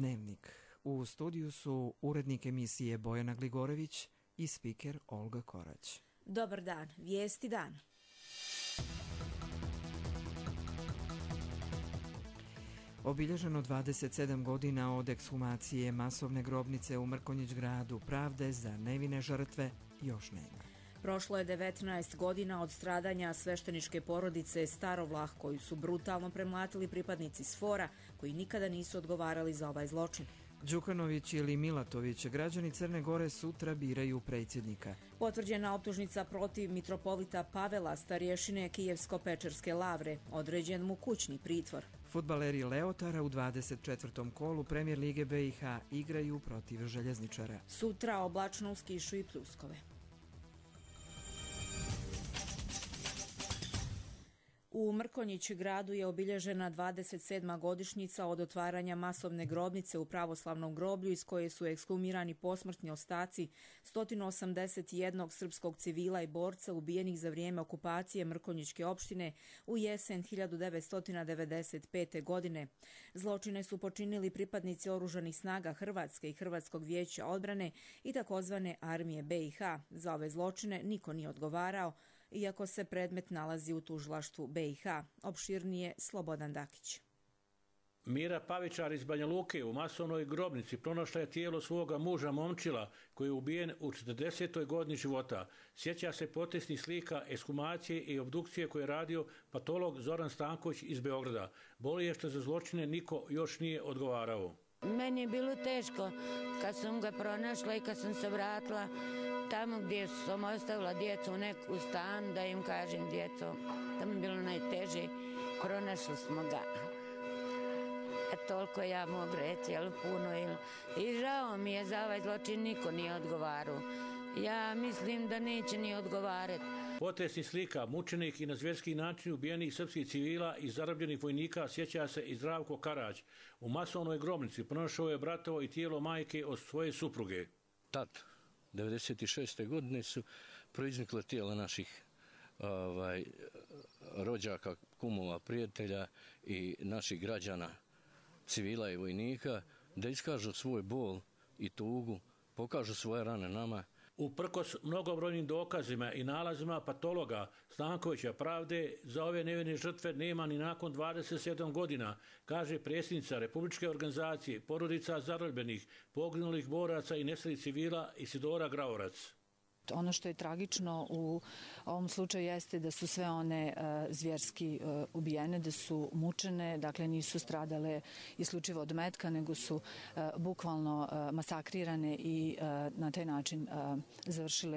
Dnevnik. U studiju su urednik emisije Bojana Gligorević i spiker Olga Korać. Dobar dan, vijesti dana. Obilježeno 27 godina od ekshumacije masovne grobnice u Mrkonjić Gradu, pravde za nevine žrtve još nema. Prošlo je 19 godina od stradanja svešteničke porodice Starovlah, koju su brutalno premlatili pripadnici SFOR-a, koji nikada nisu odgovarali za ovaj zločin. Đukanović ili Milatović, građani Crne Gore sutra biraju predsjednika. Potvrđena optužnica protiv mitropolita Pavela, starješine Kijevsko-Pečerske lavre, određen mu kućni pritvor. Fudbaleri Leotara u 24. kolu Premijer Lige BiH igraju protiv Željezničara. Sutra oblačno uz kišu i pljuskove. U Mrkonjić Gradu je obilježena 27. godišnjica od otvaranja masovne grobnice u pravoslavnom groblju iz koje su ekshumirani posmrtni ostaci 181 srpskog civila i borca ubijenih za vrijeme okupacije Mrkonjićke opštine u jesen 1995. godine. Zločine su počinili pripadnici oružanih snaga Hrvatske i Hrvatskog vijeća odbrane i takozvane armije BiH. Za ove zločine niko nije odgovarao, iako se predmet nalazi u tužilaštvu BiH. Opširnije Slobodan Dakić. Mira Pavičar iz Banja Luke u masovnoj grobnici pronašla je tijelo svoga muža Momčila, koji je ubijen u 40. godini života. Sjeća se potresnih slika, ekshumacije i obdukcije koje je radio patolog Zoran Stanković iz Beograda. Boli je što za zločine niko još nije odgovarao. Meni je bilo teško kad sam ga pronašla i kad sam se vratila tamo gdje sam ostavila djecu u stan, da im kažem djeco, tamo je bilo najteže, pronašli smo ga. Toliko ja mogu reći, ali puno. I žao mi je za ovaj zločin, niko nije odgovarao. Ja mislim da neće ni odgovarati. Potresnih slika, mučenih i na zvjerski način ubijenih srpskih civila i zarobljenih vojnika sjeća se i Zdravko Karać. U masovnoj grobnici pronašao je bratovo i tijelo majke od svoje supruge. Tad, 1996. godine su proiznikle tijela naših rođaka, kumova, prijatelja i naših građana, civila i vojnika, da iskažu svoj bol i tugu, pokažu svoje rane nama. Uprkos mnogobrojnim dokazima i nalazima patologa Stankovića, pravde za ove nevine žrtve nema ni nakon 27 godina, kaže predsjednica Republičke organizacije porodica zarobljenih, poginulih boraca i nestalih civila Isidora Graorac. Ono što je tragično u ovom slučaju jeste da su sve one zvjerski ubijene, da su mučene, dakle nisu stradale isključivo od metka, nego su bukvalno masakrirane i na taj način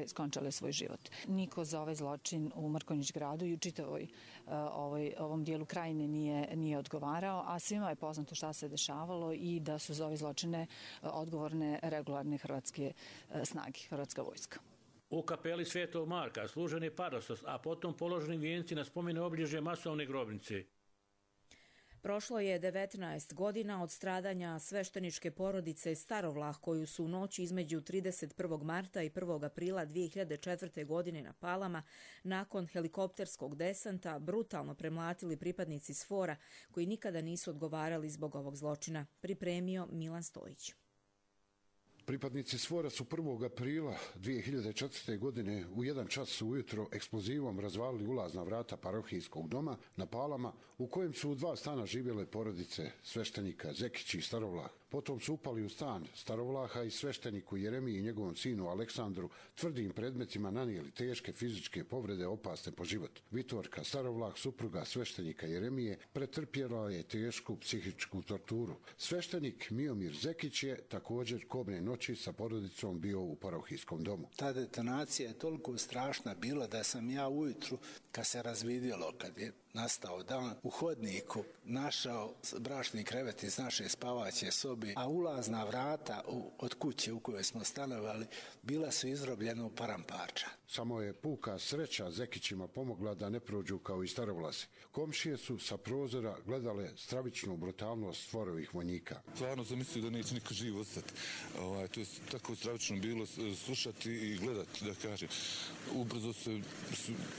skončale svoj život. Niko za ovaj zločin u Mrkonjić Gradu i u čitavoj ovom dijelu krajine nije odgovarao, a svima je poznato šta se dešavalo i da su za ove zločine odgovorne regularne hrvatske snage, hrvatska vojska. U kapeli Svetog Marka služen je parostos, a potom položeni vijenci na spomene obilježje masovne grobnice. Prošlo je 19 godina od stradanja svešteničke porodice Starovlah, koju su u noći između 31. marta i 1. aprila 2004. godine na Palama nakon helikopterskog desanta brutalno premlatili pripadnici SFOR-a, koji nikada nisu odgovarali zbog ovog zločina. Pripremio Milan Stojić. Pripadnici SFOR-a su 1. aprila 2004. godine u 1 čas ujutro eksplozivom razvalili ulazna vrata parohijskog doma na Palama, u kojem su u 2 stana živjele porodice sveštenika Zekić i Starovlah. Potom su upali u stan Starovlaha i svešteniku Jeremiji i njegovom sinu Aleksandru tvrdim predmetima nanijeli teške fizičke povrede opasne po život. Vitorka Starovlah, supruga sveštenika Jeremije, pretrpjela je tešku psihičku torturu. Sveštenik Miomir Zekić je također kobne noći sa porodicom bio u parohijskom domu. Ta detonacija je toliko strašna bila da sam ja ujutru, kad se razvidjelo, kad je nastao dan, u hodniku našao bračni krevet iz naše spavaće sobe, a ulazna vrata od kuće u kojoj smo stanovali bila su izrobljena u paramparča. Samo je puka sreća Zekićima pomogla da ne prođu kao i Starovlasi. Komšije su sa prozora gledale stravičnu brutalnost stvorovih vojnika. Stvarno sam mislio da neće niko živ ostati. To je tako stravično bilo slušati i gledati, da kažem. Ubrzo se,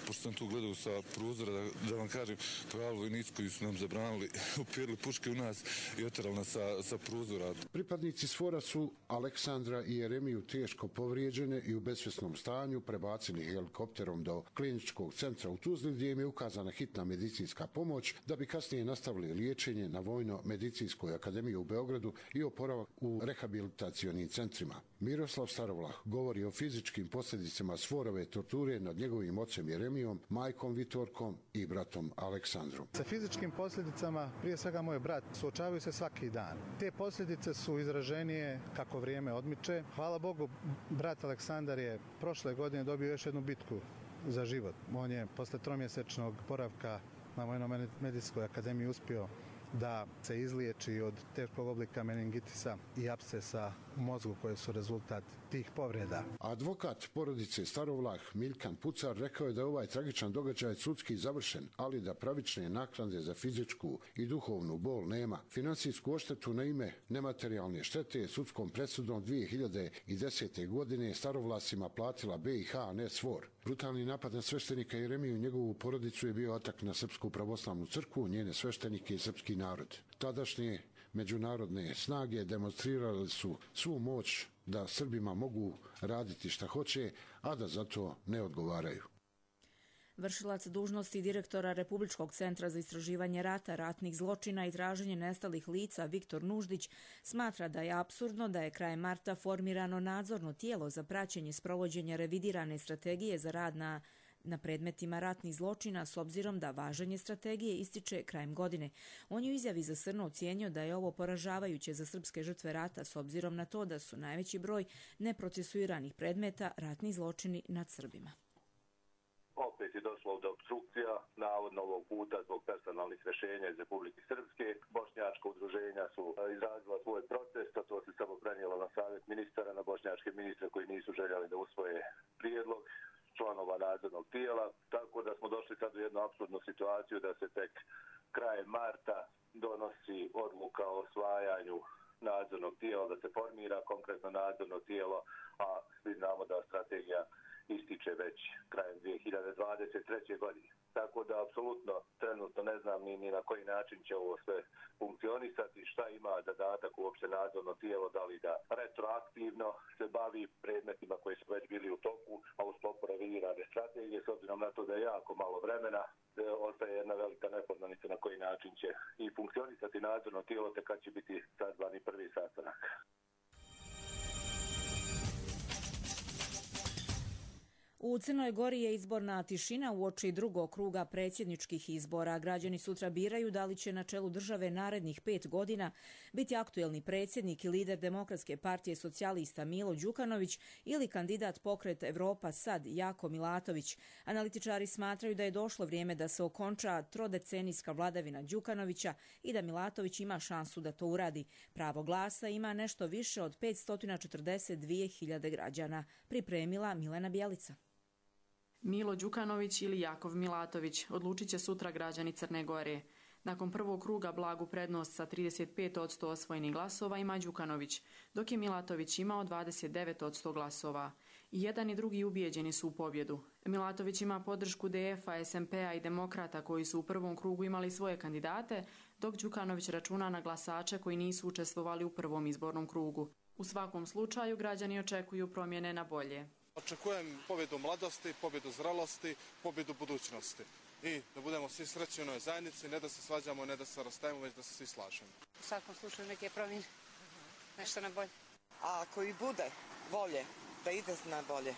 pošto sam tu gledao sa prozora, da vam kažem, pravi vojnici koji su nam zabranili, upirili puške u nas i oterali nas sa prozora. Pripadnici SFOR-a su Aleksandra i Jeremiju teško povrijeđene i u besvjesnom stanju prebacili helikopterom do kliničkog centra u Tuzli, gdje im je ukazana hitna medicinska pomoć, da bi kasnije nastavili liječenje na Vojno-medicinskoj akademiji u Beogradu i oporavak u rehabilitacionim centrima. Miroslav Starovlah govori o fizičkim posljedicama SFOR-ove torture nad njegovim ocem Jeremijom, majkom Vitorkom i bratom Aleksandrom. Sa fizičkim posljedicama, prije svega moj brat, suočavaju se svaki dan. Te posljedice su izraženije kako vrijeme odmiče. Hvala Bogu, brat Aleksandar je prošle godine dobio još jednu bitku za život. On je posle 3-mjesečnog boravka na Vojno-medicinskoj akademiji uspio da se izliječi od teškog oblika meningitisa i apsesa u mozgu koje su rezultat tih povreda. Advokat porodice Starovlah Miljkan Pucar rekao je da je ovaj tragičan događaj sudski završen, ali da pravične naknade za fizičku i duhovnu bol nema. Financijsku odštetu na ime nematerijalne štete sudskom presudom 2010. godine Starovlasima platila BiH, a ne SFOR. Brutalni napad na sveštenika Jeremiju i njegovu porodicu je bio atak na Srpsku pravoslavnu crkvu, njene sveštenike i srpski narod. Tadašnje međunarodne snage demonstrirale su svu moć da Srbima mogu raditi šta hoće, a da za to ne odgovaraju. Vršilac dužnosti direktora Republičkog centra za istraživanje rata, ratnih zločina i traženje nestalih lica Viktor Nuždić smatra da je apsurdno da je krajem marta formirano nadzorno tijelo za praćenje sprovođenja revidirane strategije za rad na predmetima ratnih zločina, s obzirom da važenje strategije ističe krajem godine. On je u izjavi za Srno ocijenio da je ovo poražavajuće za srpske žrtve rata, s obzirom na to da su najveći broj neprocesuiranih predmeta ratni zločini nad Srbima. Opet je došlo do obstrukcija, navodno ovog puta zbog personalnih rješenja iz Republike Srpske. Bošnjačka udruženja su izrazila svoj protest, a to se samo prenijelo na savjet ministara, na bošnjačke ministre koji nisu željeli da usvoje prijedlog članova nadzornog tijela, tako da smo došli sad u jednu apsurdnu situaciju da se tek krajem marta donosi odluka o osvajanju nadzornog tijela, da se formira konkretno nadzorno tijelo, a svi znamo da strategija ističe već krajem 2023. godine. Tako da apsolutno trenutno ne znam ni na koji način će ovo sve funkcionisati, šta ima zadatak uopće nadzorno tijelo, da li da retroaktivno se bavi predmetima koji su već bili u toku, a u sklopu revidirane strategije, s obzirom na to da je jako malo vremena, ostaje jedna velika nepoznanica na koji način će i funkcionisati nadzorno tijelo, te kad će biti sazvani prvi sastanak. U Crnoj Gori je izborna tišina uoči drugog kruga predsjedničkih izbora. Građani sutra biraju da li će na čelu države narednih 5 godina biti aktuelni predsjednik i lider Demokratske partije socijalista Milo Đukanović ili kandidat Pokret Evropa Sad Jako Milatović. Analitičari smatraju da je došlo vrijeme da se okonča trodecenijska vladavina Đukanovića i da Milatović ima šansu da to uradi. Pravo glasa ima nešto više od 542.000 građana. Pripremila Milena Bjelica. Milo Đukanović ili Jakov Milatović odlučit će sutra građani Crne Gore. Nakon prvog kruga blagu prednost sa 35% osvojenih glasova ima Đukanović, dok je Milatović imao 29% glasova. I jedan i drugi ubijeđeni su u pobjedu. Milatović ima podršku DF-a, SMP-a i Demokrata koji su u prvom krugu imali svoje kandidate, dok Đukanović računa na glasače koji nisu učestvovali u prvom izbornom krugu. U svakom slučaju građani očekuju promjene na bolje. Očekujem pobjedu mladosti, pobjedu zrelosti, pobjedu budućnosti. I da budemo svi srećni u ovoj zajednici, ne da se svađamo, ne da se rastajemo, već da se svi slažemo. U svakom slučaju neke promjene, nešto na bolje. A ako i bude volje da ide na bolje,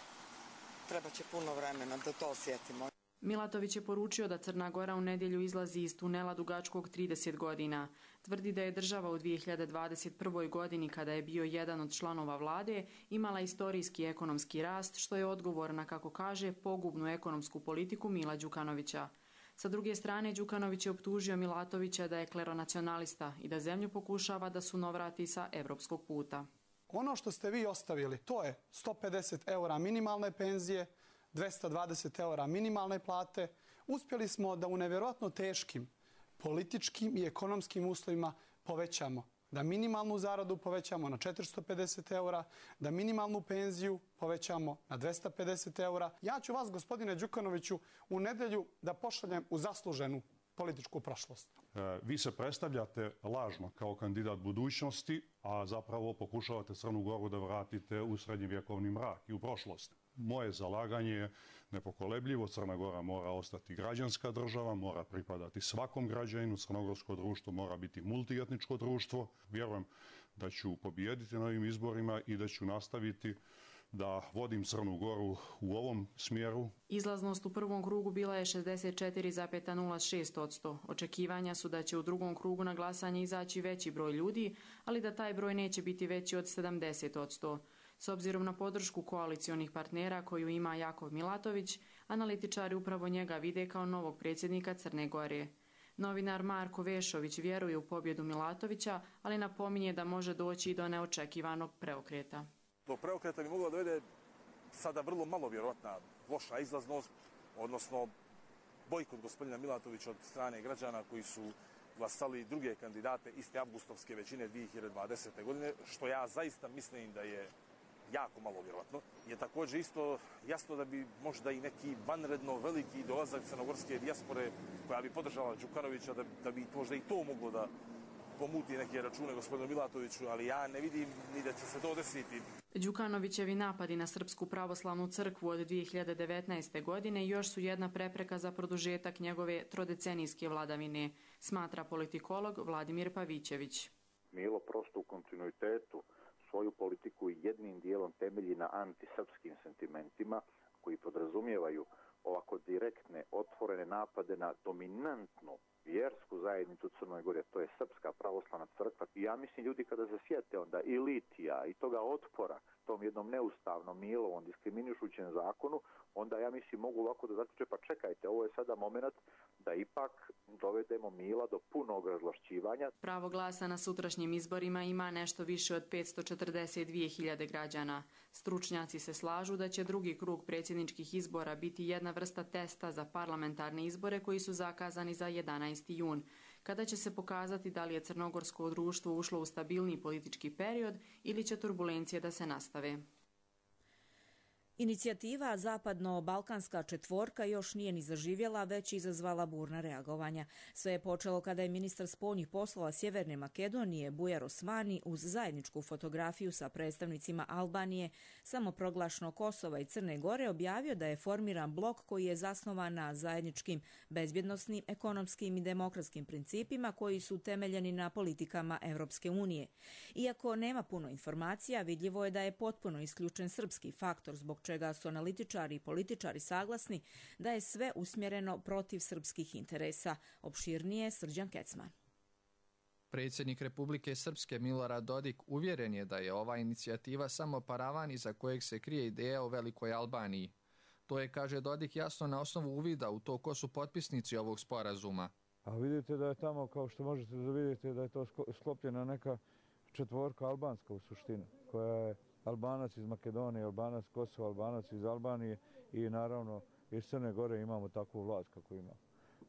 treba će puno vremena da to osjetimo. Milatović je poručio da Crna Gora u nedjelju izlazi iz tunela dugačkog 30 godina. Tvrdi da je država u 2021. godini, kada je bio jedan od članova vlade, imala istorijski ekonomski rast, što je odgovor na, kako kaže, pogubnu ekonomsku politiku Mila Đukanovića. Sa druge strane, Đukanović je optužio Milatovića da je kleronacionalista i da zemlju pokušava da sunovrati sa evropskog puta. Ono što ste vi ostavili, to je 150 € minimalne penzije, 220 eura minimalne plate. Uspjeli smo da u nevjerojatno teškim političkim i ekonomskim uslovima povećamo. Da minimalnu zaradu povećamo na 450 eura, da minimalnu penziju povećamo na 250 eura. Ja ću vas, gospodine Đukanoviću, u nedjelju da pošaljem u zasluženu političku prošlost. Vi se predstavljate lažno kao kandidat budućnosti, a zapravo pokušavate Crnu Goru da vratite u srednjevjekovni mrak i u prošlost. Moje zalaganje je nepokolebljivo. Crna Gora mora ostati građanska država, mora pripadati svakom građaninu. Crnogorsko društvo mora biti multietničko društvo. Vjerujem da ću pobijediti na ovim izborima i da ću nastaviti da vodim Crnu Goru u ovom smjeru. Izlaznost u prvom krugu bila je 64,06%. Očekivanja su da će u drugom krugu na glasanje izaći veći broj ljudi, ali da taj broj neće biti veći od 70%. S obzirom na podršku koalicionih partnera koju ima Jakov Milatović, analitičari upravo njega vide kao novog predsjednika Crne Gore. Novinar Marko Vešović vjeruje u pobjedu Milatovića, ali napominje da može doći i do neočekivanog preokreta. Do preokreta bi mogla dovede sada vrlo malo vjerojatna loša izlaznost, odnosno bojkot gospodina Milatovića od strane građana koji su glasali druge kandidate iste avgustovske većine 2020. godine, što ja zaista mislim da je jako malo vjerojatno. Je također isto jasno da bi možda i neki vanredno veliki dolazak crnogorske dijaspore koja bi podržala Đukanovića, da bi možda i to moglo da pomuti neke račune gospodinu Milatoviću, ali ja ne vidim ni da će se to desiti. Đukanovićevi napadi na Srpsku pravoslavnu crkvu od 2019. godine još su jedna prepreka za produžetak njegove trodecenijske vladavine, smatra politikolog Vladimir Pavićević. Milo prosto u kontinuitetu svoju politiku jednim dijelom temelji na antisrpskim sentimentima koji podrazumijevaju ovako direktne, otvorene napade na dominantnu vjersku zajednicu Crnoj Gori, to je Srpska pravoslavna crkva. I ja mislim, ljudi kada se sjete onda i litija i toga otpora tom jednom neustavnom Milovom diskriminišućem zakonu, onda ja mislim mogu ovako da zaključe, pa čekajte, ovo je sada moment da ipak dovedemo Mila do punog razvlašćivanja. Pravo glasa na sutrašnjim izborima ima nešto više od 542.000 građana. Stručnjaci se slažu da će drugi krug predsjedničkih izbora biti jedna vrsta testa za parlamentarne izbore koji su zakazani za 11. jun, kada će se pokazati da li je crnogorsko društvo ušlo u stabilniji politički period ili će turbulencije da se nastave. Inicijativa Zapadno-Balkanska četvorka još nije ni zaživjela, već izazvala burna reagovanja. Sve je počelo kada je ministar spoljnih poslova Sjeverne Makedonije Bujar Osmani uz zajedničku fotografiju sa predstavnicima Albanije, samoproglašenog Kosova i Crne Gore objavio da je formiran blok koji je zasnovan na zajedničkim bezbjednosnim, ekonomskim i demokratskim principima koji su temeljeni na politikama Europske unije. Iako nema puno informacija, vidljivo je da je potpuno isključen srpski faktor, zbog čega su analitičari i političari saglasni da je sve usmjereno protiv srpskih interesa. Opširnije Srđan Kecman. Predsjednik Republike Srpske Milorad Dodik uvjeren je da je ova inicijativa samo paravan iza kojeg se krije ideja o Velikoj Albaniji. To je, kaže Dodik, jasno na osnovu uvida u to ko su potpisnici ovog sporazuma. A vidite da je tamo, kao što možete da vidite, da je to sklopljena neka četvorka albanska u suštini, koja je Albanac iz Makedonije, Albanac Kosova, Albanac iz Albanije i naravno iz Crne Gore imamo takvu vlast kako imamo.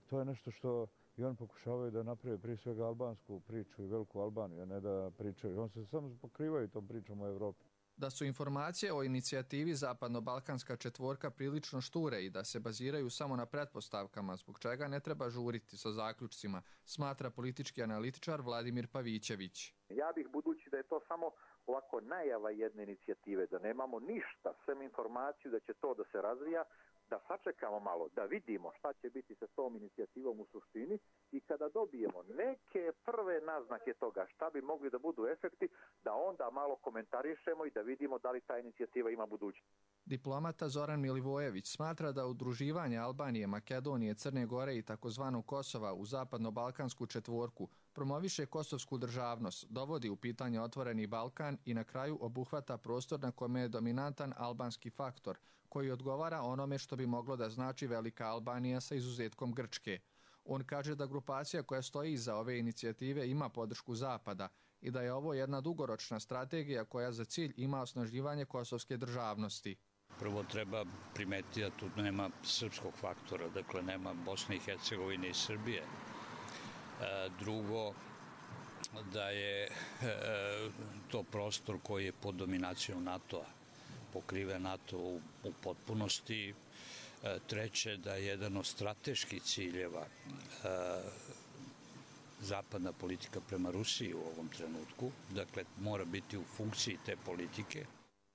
To je nešto što i oni pokušavaju da naprave prije svega albansku priču i Veliku Albaniju, a ne da pričaju. Oni se samo pokrivaju tom pričom u Evropi. Da su informacije o inicijativi Zapadno-Balkanska četvorka prilično šture i da se baziraju samo na pretpostavkama, zbog čega ne treba žuriti sa zaključcima, smatra politički analitičar Vladimir Pavićević. Ja bih, budući da je to samo ovako najava jedne inicijative, da nemamo ništa, sem informaciju da će to da se razvija, da sačekamo malo, da vidimo šta će biti sa tom inicijativom u suštini i kada dobijemo neke prve naznake toga šta bi mogli da budu efekti, da onda malo komentarišemo i da vidimo da li ta inicijativa ima budućnost. Diplomata Zoran Milivojević smatra da udruživanje Albanije, Makedonije, Crne Gore i takozvanog Kosova u Zapadno-Balkansku četvorku promoviše kosovsku državnost, dovodi u pitanje otvoreni Balkan i na kraju obuhvata prostor na kome je dominantan albanski faktor, koji odgovara onome što bi moglo da znači Velika Albanija sa izuzetkom Grčke. On kaže da grupacija koja stoji iza ove inicijative ima podršku Zapada i da je ovo jedna dugoročna strategija koja za cilj ima osnaživanje kosovske državnosti. Prvo treba primetiti da tu nema srpskog faktora, dakle nema Bosne i Hercegovine i Srbije. Drugo, da je to prostor koji je pod dominacijom NATO-a, pokrive NATO u potpunosti. Treće, da je jedan od strateških ciljeva zapadna politika prema Rusiji u ovom trenutku, dakle mora biti u funkciji te politike.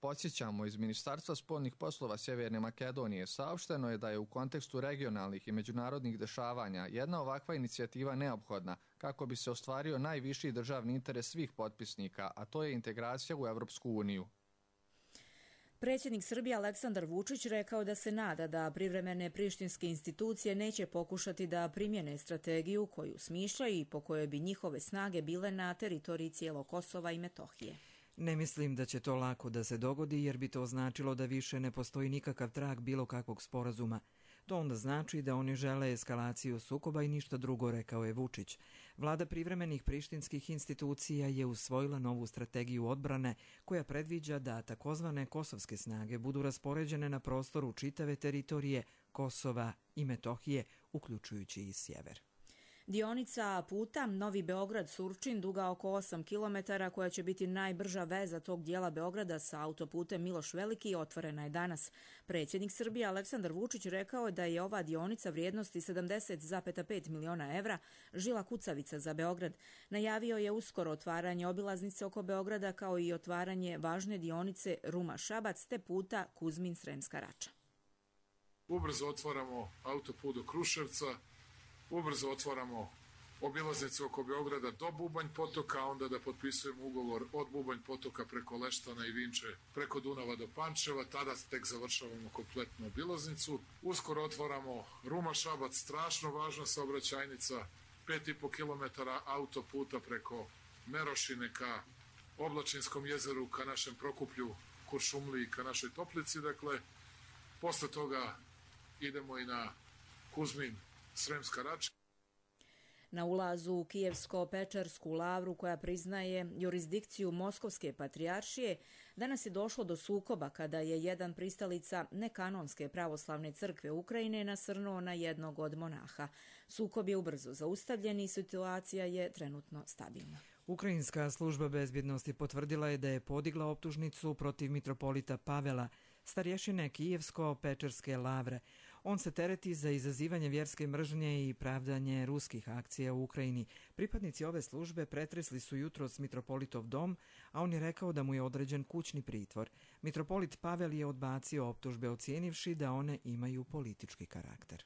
Podsjećamo, iz Ministarstva spoljnih poslova Sjeverne Makedonije saopšteno je da je u kontekstu regionalnih i međunarodnih dešavanja jedna ovakva inicijativa neophodna kako bi se ostvario najviši državni interes svih potpisnika, a to je integracija u Evropsku uniju. Predsjednik Srbije Aleksandar Vučić rekao da se nada da privremene prištinske institucije neće pokušati da primjene strategiju koju smišljaju i po kojoj bi njihove snage bile na teritoriji cijelog Kosova i Metohije. Ne mislim da će to lako da se dogodi jer bi to značilo da više ne postoji nikakav trag bilo kakvog sporazuma. To onda znači da oni žele eskalaciju sukoba i ništa drugo, rekao je Vučić. Vlada privremenih prištinskih institucija je usvojila novu strategiju odbrane koja predviđa da takozvane kosovske snage budu raspoređene na prostoru čitave teritorije Kosova i Metohije, uključujući i sjever. Dionica puta Novi Beograd-Surčin, duga oko 8 km, koja će biti najbrža veza tog dijela Beograda sa autoputem Miloš Veliki, otvorena je danas. Predsjednik Srbije Aleksandar Vučić rekao je da je ova dionica vrijednosti 70,5 miliona evra žila kucavica za Beograd. Najavio je uskoro otvaranje obilaznice oko Beograda kao i otvaranje važne dionice Ruma-Šabac te puta Kuzmin-Sremska Rača. Ubrzo otvaramo autoput do Kruševca, ubrzo otvaramo obilaznicu oko Beograda do Bubanj potoka, a onda da potpisujemo ugovor od Bubanj potoka preko Leštana i Vinče, preko Dunava do Pančeva, tada tek završavamo kompletnu obilaznicu. Uskoro otvaramo Ruma-Šabac, strašno važna saobraćajnica, 5,5 km autoputa preko Merošine ka Oblačinskom jezeru, ka našem Prokuplju, Kuršumliji, ka našoj Toplici. Dakle, posle toga idemo i na Kuzmin, Sremska Rača. Na ulazu u Kijevsko-Pečersku lavru koja priznaje jurisdikciju Moskovske patrijaršije, danas je došlo do sukoba kada je jedan pristalica nekanonske pravoslavne crkve Ukrajine nasrnuo na jednog od monaha. Sukob je ubrzo zaustavljen i situacija je trenutno stabilna. Ukrajinska služba bezbjednosti potvrdila je da je podigla optužnicu protiv mitropolita Pavela, starješine Kijevsko-Pečerske lavre. On se tereti za izazivanje vjerske mržnje i pravdanje ruskih akcija u Ukrajini. Pripadnici ove službe pretresli su jutros mitropolitov dom, a on je rekao da mu je određen kućni pritvor. Mitropolit Pavel je odbacio optužbe, ocijenivši da one imaju politički karakter.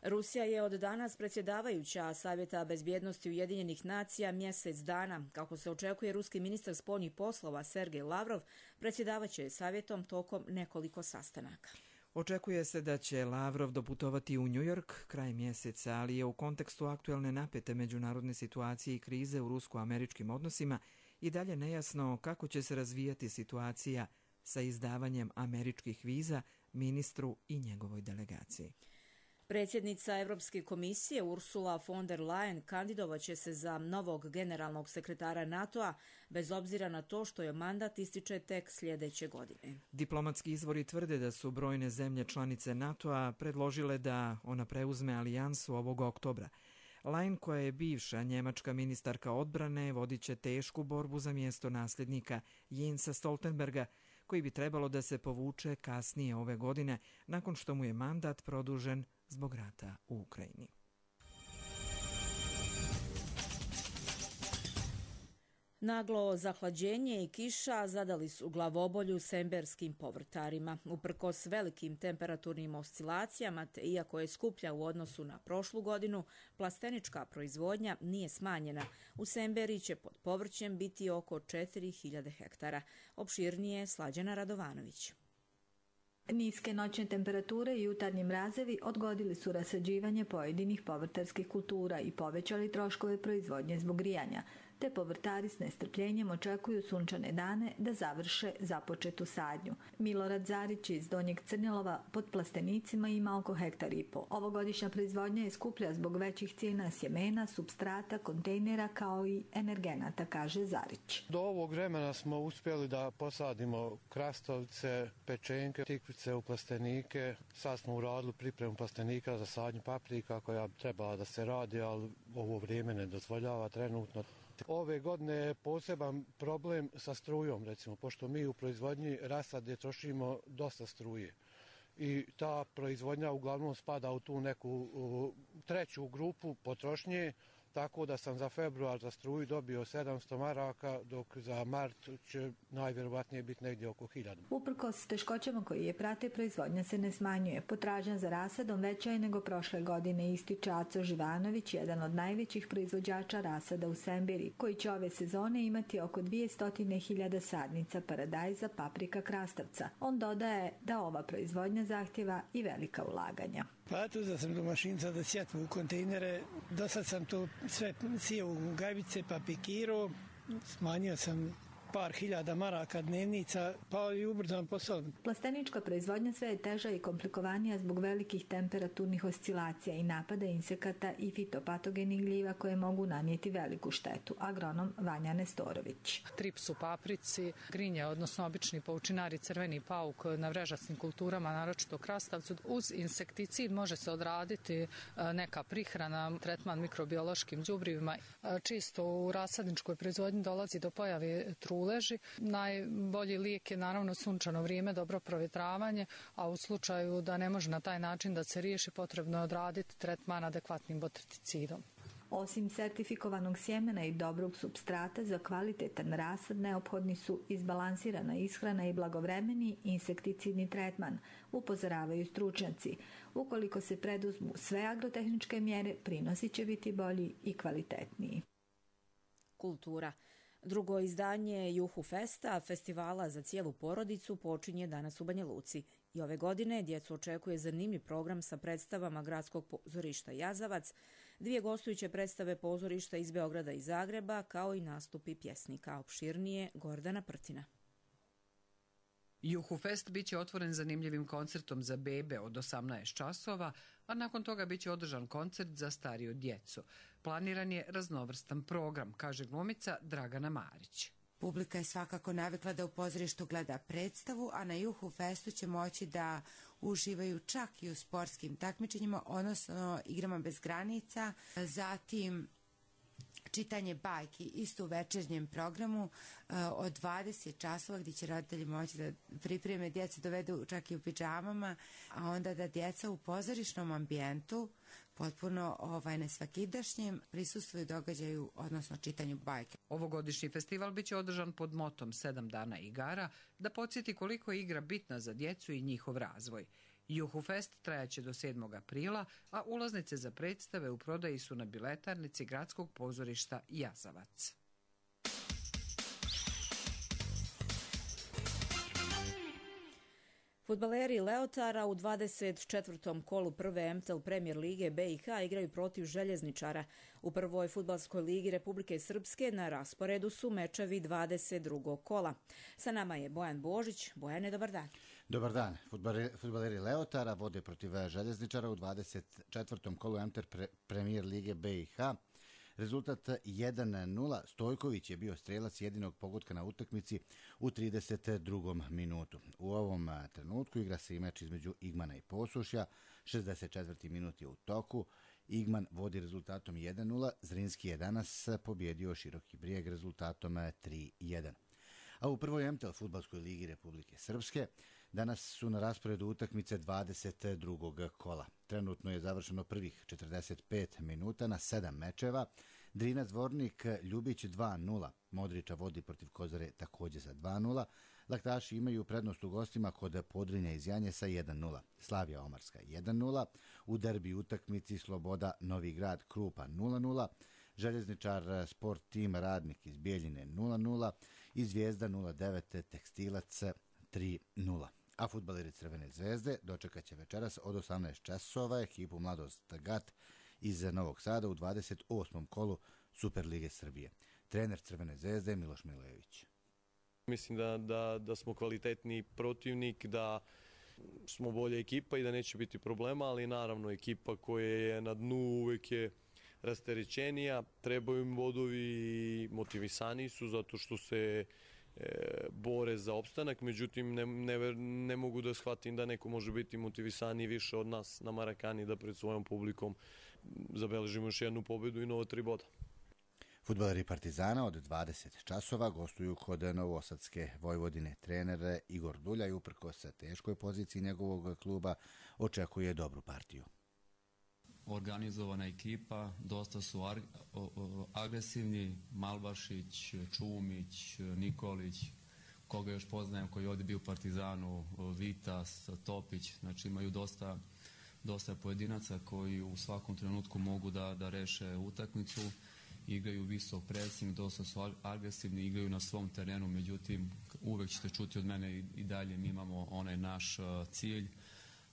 Rusija je od danas predsjedavajuća Savjeta bezbjednosti Ujedinjenih nacija mjesec dana. Kako se očekuje, ruski ministar spoljnih poslova Sergej Lavrov predsjedavaće savjetom tokom nekoliko sastanaka. Očekuje se da će Lavrov doputovati u New York kraj mjeseca, ali je u kontekstu aktuelne napete međunarodne situacije i krize u rusko-američkim odnosima i dalje nejasno kako će se razvijati situacija sa izdavanjem američkih viza ministru i njegovoj delegaciji. Predsjednica Europske komisije Ursula von der Leyen kandidovaće se za novog generalnog sekretara NATO-a bez obzira na to što je mandat ističe tek sljedeće godine. Diplomatski izvori tvrde da su brojne zemlje članice NATO-a predložile da ona preuzme alijansu ovog oktobra. Leyen, koja je bivša njemačka ministarka odbrane, vodit će tešku borbu za mjesto nasljednika Jensa Stoltenberga, koji bi trebalo da se povuče kasnije ove godine nakon što mu je mandat produžen zbog rata u Ukrajini. Naglo zahlađenje i kiša zadali su glavobolju semberskim povrtarima. Uprkos velikim temperaturnim oscilacijama, te iako je skuplja u odnosu na prošlu godinu, plastenička proizvodnja nije smanjena. U Semberi će pod povrćem biti oko 4000 hektara. Opširnije Slađana Radovanović. Niske noćne temperature i jutarnji mrazevi odgodili su rasađivanje pojedinih povrtarskih kultura i povećali troškove proizvodnje zbog grijanja. te povrtari s nestrpljenjem očekuju sunčane dane da završe započetu sadnju. Milorad Zarić iz Donjeg Crnjelova pod plastenicima ima oko 1,5 hektara. Ovogodišnja proizvodnja je skuplja zbog većih cijena sjemena, supstrata, kontejnera kao i energenata, kaže Zarić. Do ovog vremena smo uspjeli da posadimo krastavce, pečenke, tikvice u plastenike. Sad smo uradili pripremu plastenika za sadnju paprika koja trebala da se radi, ali ovo vrijeme ne dozvoljava trenutno. Ove godine je poseban problem sa strujom, recimo, pošto mi u proizvodnji rasade trošimo dosta struje. I ta proizvodnja uglavnom spada u tu neku treću grupu potrošnje, tako da sam za februar za struju dobio 700 maraka, dok za mart će najvjerovatnije biti negdje oko 1000. Uprkos teškoćama koji je prate, proizvodnja se ne smanjuje. Potražnja za rasadom veća je nego prošle godine, ističe Aco Živanović, jedan od najvećih proizvođača rasada u Sembiri, koji će ove sezone imati oko 200.000 sadnica paradajza, paprika, krastavca. On dodaje da ova proizvodnja zahtjeva i velika ulaganja. Pa tu sam domašinca da sjetim u kontejnere. Do sad sam to sve sijao u gajbice pa pikirao. Smanjio sam par hiljada maraka dnevnica, pa i ubrzan posao. Plastenička proizvodnja sve je teža i komplikovanija zbog velikih temperaturnih oscilacija i napada insekata i fitopatogenih gljiva koje mogu nanijeti veliku štetu. Agronom Vanja Nestorović. Trips u paprici, grinje, odnosno obični paučinari, crveni pauk na vrežastim kulturama, naročito krastavcu. Uz insekticid može se odraditi neka prihrana, tretman mikrobiološkim đubrivima. Čisto u rasadničkoj proizvodnji dolazi do pojave truleži. Najbolji lijek je naravno sunčano vrijeme, dobro provjetravanje, a u slučaju da ne može na taj način da se riješi, potrebno je odraditi tretman adekvatnim botriticidom. Osim sertifikovanog sjemena i dobrog supstrata za kvalitetan rasad, neophodni su izbalansirana ishrana i blagovremeni insekticidni tretman, upozoravaju stručnjaci. Ukoliko se preduzmu sve agrotehničke mjere, prinosi će biti bolji i kvalitetniji. Kultura. Drugo izdanje Juhu Festa, festivala za cijelu porodicu, počinje danas u Banja Luci. I ove godine djecu očekuje zanimljiv program sa predstavama Gradskog pozorišta Jazavac, 2 gostujuće predstave pozorišta iz Beograda i Zagreba, kao i nastupi pjesnika. Opširnije Gordana Prtina. Juhu Fest biće otvoren zanimljivim koncertom za bebe od 18 časova, a nakon toga biće održan koncert za stariju djecu. Planiran je raznovrstan program, kaže glumica Dragana Marić. Publika je svakako navikla da u pozorištu gleda predstavu, a na Juhu Festu će moći da uživaju čak i u sportskim takmičenjima, odnosno igrama bez granica, zatim čitanje bajki isto u večernjem programu od 20 časova gdje će roditelji moći da pripreme djecu, dovedu čak i u pidžamama, a onda da djeca u pozorišnom ambijentu potpuno nesvakidašnjem prisustvuju događaju, odnosno čitanju bajke. Ovogodišnji festival biće održan pod motom 7 dana igara, da podsjeti koliko je igra bitna za djecu i njihov razvoj. Juhu Fest trajaće do 7. aprila, a ulaznice za predstave u prodaji su na biletarnici Gradskog pozorišta Jazavac. Fudbaleri Leotara u 24. kolu prve MTL Premier lige BiH igraju protiv Željezničara. U prvoj fudbalskoj ligi Republike Srpske na rasporedu su mečevi 22. kola. Sa nama je Bojan Božić. Bojane, dobar dan. Dobar dan. Fudbaleri Leotara vode protiv Željezničara u 24. kolu MTL Premier lige BiH. Rezultat 1-0. Stojković je bio strelac jedinog pogotka na utakmici u 32. minutu. U ovom trenutku igra se i meč između Igmana i Posušja. 64. minut je u toku. Igman vodi rezultatom 1-0. Zrinski je danas pobjedio Široki Brijeg rezultatom 3-1. A u prvoj MTL fudbalskoj ligi Republike Srpske danas su na rasporedu utakmice 22. kola. Trenutno je završeno prvih 45 minuta na 7 mečeva. Drinac Dvornik Ljubić 2-0. Modriča vodi protiv Kozare također za 2-0. Laktaši imaju prednost u gostima kod Podrinja iz Janjesa 1-0. Slavija Omarska 1-0. U derbi utakmici Sloboda Novi Grad Krupa 0-0. Željezničar Sport Tim Radnik iz Bijeljine 0-0. I Zvijezda 09 Tekstilac 3-0. A fudbaleri Crvene zvezde dočekat će večeras od 18 časova ekipu Mladost Gat iz Novog Sada u 28. kolu Superlige Srbije. trener Crvene zvezde Miloš Milojević. Mislim da smo kvalitetni protivnik, da smo bolja ekipa i da neće biti problema, ali naravno ekipa koja je na dnu uvek je rasterećenija, trebaju im bodovi i motivisani su zato što se bore za opstanak, međutim ne mogu da shvatim da neko može biti motivisaniji više od nas na Marakani da pred svojom publikom zabeležimo još jednu pobedu i nova 3 boda. Fudbaleri Partizana od 20 časova gostuju kod Novosadske Vojvodine. Trener Igor Duljaj, uprkos teškoj poziciji njegovog kluba, očekuje dobru partiju. Organizovana ekipa, dosta su agresivni, Malbašić, Čumić, Nikolić, koga još poznajem koji je ovdje bio u Partizanu, Vitas, Topić, znači imaju dosta pojedinaca koji u svakom trenutku mogu da reše utakmicu, igraju visok pressing, dosta su agresivni, igraju na svom terenu, međutim uvek ćete čuti od mene i dalje mi imamo onaj naš cilj,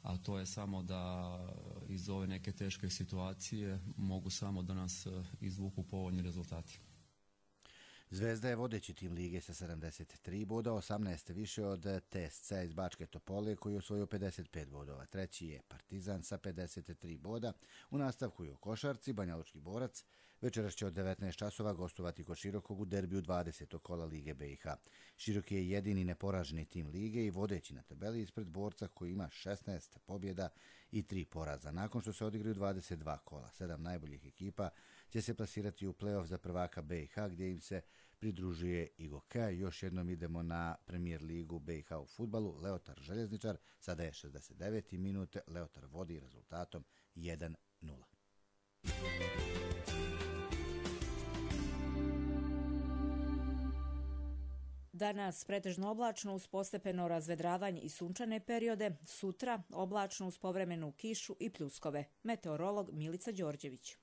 a to je samo da iz ove neke teške situacije mogu samo da nas izvuku povoljni rezultati. Zvezda je vodeći tim lige sa 73 boda, 18 više od TSC iz Bačke Topole koji je osvojio 55 bodova. Treći je Partizan sa 53 boda. U nastavku je u košarci Banjalučki Borac. Večeras će od 19 časova gostovati kod Širokog u derbiju 20. kola Lige BiH. Široki je jedini neporaženi tim lige i vodeći na tabeli ispred Borca koji ima 16 pobjeda i 3 poraza. Nakon što se odigraju 22 kola, 7 najboljih ekipa će se plasirati u play-off za prvaka BiH gdje im se pridružuje i Goka. Još jednom idemo na Premier ligu BiH u fudbalu. Leotar Željezničar, sada je 69. minut, Leotar vodi rezultatom 1-0. Danas pretežno oblačno uz postepeno razvedravanje i sunčane periode, sutra oblačno uz povremenu kišu i pljuskove. Meteorolog Milica Đorđević.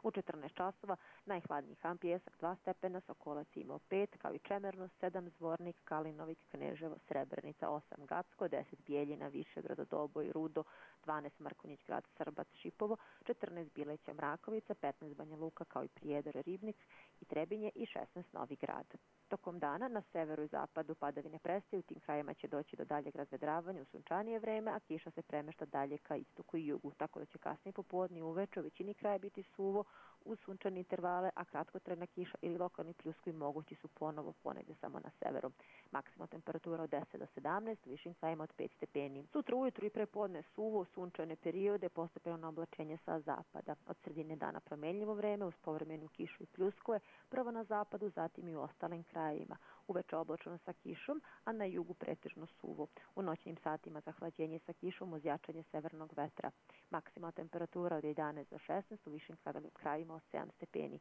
U 14 časova najhladniji Han Pijesak 2 stepena, Sokolac imao 5, kao i Čemerno 7, Zvornik, Kalinovik, Kneževo, Srebrenica 8, Gacko, 10 Bijeljina, Višegrad, Doboj, Rudo, 12 Mrkonjić Grad, Srbac, Šipovo, 14 Bileća, Mrakovica, 15 Banja Luka, kao i Prijedor, Ribnik i Trebinje i 16 Novi Grad. Tokom dana na severu i zapadu padavine prestaju, u tim krajima će doći do daljeg razvedravanja u sunčanije vreme, a kiša se premešta dalje ka istoku i jugu, tako da će kasnije popodne i uveče u većini kraja biti suvo uz sunčane intervale, a kratkotrajna kiša ili lokalni pljuskovi mogući su ponovo ponegdje samo na severu. Maksimalna temperatura od 10 do 17, u višim krajima od 5 stepeni. Sutra ujutru i prepodne suvo, sunčane periode, postepeno oblačenje sa zapada. Od sredine dana promenljivo vreme uz povremenu kišu i pljuskove, prvo na zapadu, zatim i u ostalim krajevima. Uveče oblačno sa kišom, a na jugu pretežno suvo. U noćnim satima zahlađenje sa kišom uz jačanje severnog vetra. Maksimalna temperatura od 11 do 16, u višim krajima od 7 stepeni.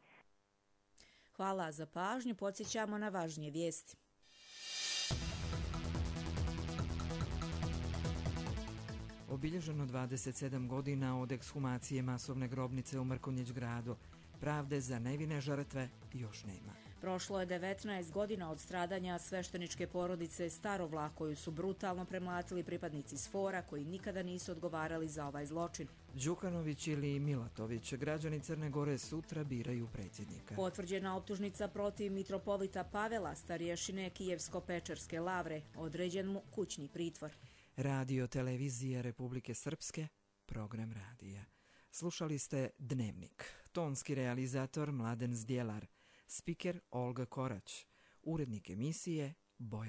Hvala za pažnju, podsjećamo na važnije vijesti. Obilježeno 27 godina od ekshumacije masovne grobnice u Mrkonjić gradu. Pravde za nevine žrtve još nema. Prošlo je 19 godina od stradanja svešteničke porodice Starovlah koju su brutalno premlatili pripadnici SFOR-a koji nikada nisu odgovarali za ovaj zločin. Đukanović ili Milatović, građani Crne Gore sutra biraju predsjednika. Potvrđena optužnica protiv mitropolita Pavela, starješine Kijevsko-Pečerske lavre, određen mu kućni pritvor. Radio televizije Republike Srpske, program radija. Slušali ste Dnevnik, tonski realizator Mladen Zdjelar, spiker Olga Korać, urednik emisije Bojan